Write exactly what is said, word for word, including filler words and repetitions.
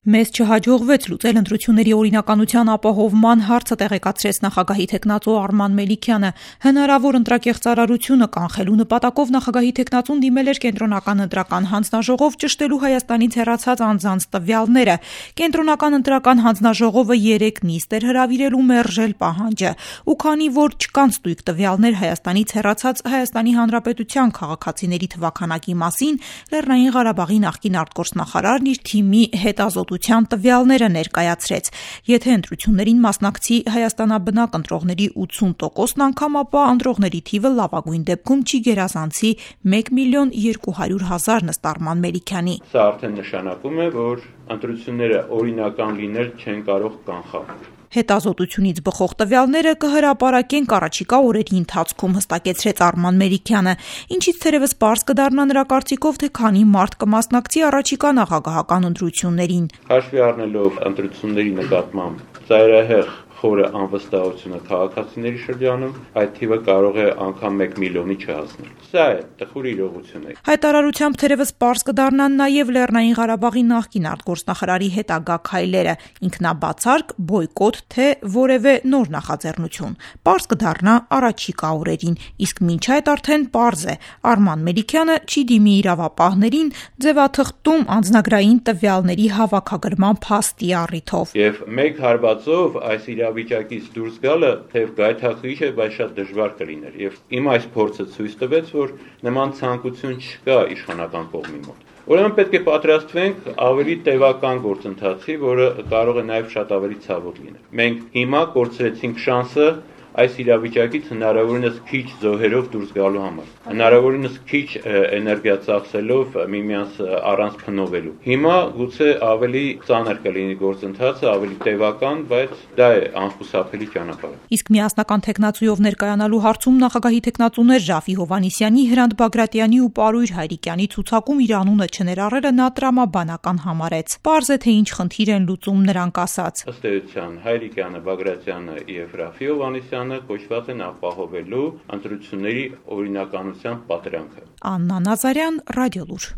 Մեզ չհաջողվեց լուծել ընտրությունների օրինականության ապահովման հարցը, տեղեկացրեց նախագահի թեկնածու Արման Մելիքյանը։ Հնարավոր ընտրակեղծարարությունը կանխելու նպատակով նախագահի թեկնածուն դիմել էր կենտրոնական ընտրական հանձնաժողով ճշտելու Հայաստանից հեռացած անձանց տվյալները։ Կենտրոնական ընտրական հանձնաժողովը երեք նիստ էր հրավիրել ու մերժել պահանջը։ Ու քանի որ չկան ստույգ տվյալներ Հայաստանից հեռացած Հայաստանի Հանրապետության քաղաքացիների թվաքանակի մասին, Լեռնային Ղարաբաղի նախկին արտգործնախարարն իր թիմի հետազոտության տվյալները ներկայացրեց։ Եթե ընտրություններին մասնակցի հայաստանաբնակ ընտրողների ութսուն տոկոսն անգամ, ապա ընտրողների թիվը լավագույն դեպքում չի գերազանցի մեկ միլիոն երկու հարյուր հազար, ըստ Արման Մելիքյանի։ Սա արդեն նշանակում է, որ ընտրությունները օրինական լինել չեն կարող կանխալ։ Հետազոտությունից բխող տվյալները կհրապարակենք առաջիկա օրերի ընթացքում, հստակեցրեց Արման Մելիքյանը, ինչից թերևս պարզ կդառնա նրա կարծիքով, թե քանի մարդ կմասնակցի առաջիկա նախագահական ընտրություններին։ Հաշվի առնելով ընտրությունների նկատմամբ ծայրահեղ խորը անվստահությունը քաղաքացիների շրջանում, այդ թիվը կարող է անգամ մեկ միլիոնի չհասնել։ Սա է տխուր իրողությունը։ Հայտարարությամբ թերևս պարզ կդառնան նաև Լեռնային Ղարաբաղի նախկին արտգործնախարարի հետագա քայլերը՝ ինքնաբացարկ, բոյկոտ, թե որևէ նոր նախաձեռնություն։ Պարզ կդառնա առաջիկա օրերին, իսկ մինչ այդ արդեն պարզ է՝ Արման Մելիքյանը չի դիմի իրավապահներին ձևաթղթում անձնագրային տվյալների հավաքագրման փաստի առիթով։ Եվ մեկ հարվածով այս իրավիճակից դուրս գալը թեև գայթակղիչ է, բայց շատ դժվար կլիներ։ Եվ իմ այս փորձը ցույց տվեց, որ նման ցանկություն չկա իշխանական կողմի մոտ։ Ուրեմն պետք է պատրաստվենք ավելի տևական գործընթացի, որը կարող է նաև շատ ավելի ցավոտ լինել։ Մենք հիմա կորցրեցինք շանսը այս իրավիճակից հնարավորինս քիչ զոհերով դուրս գալու համար, հնարավորինս քիչ էներգիա ծախսելով միմյանց առանց փնովելու։ Հիմա գուցե ավելի ծանր կլինի գործընթացը, ավելի տևական, բայց դա է անխուսափելի ճանապարհը։ Իսկ միասնական թեկնածուով ներկայանալու հարցում նախագահի թեկնածուներ Ժաֆի Հովհաննիսյանի, Հրանտ Բագրատյանի ու Պարույր Հայրիկյանի ցուցակում իր անունը չներառելը նա տրամաբանական համարեց։ Պարզ է, թե ինչ խնդիր են լուծում, նրանք ասաց։ Ըստ էության Հայրիկյանը, Բագրատյանը եւ Ժաֆի Հովհաննիսյանը կոչված են ապահովելու ընտրությունների օրինականության պատրանքը։ Աննա Նազարյան, Ռադիոլուր։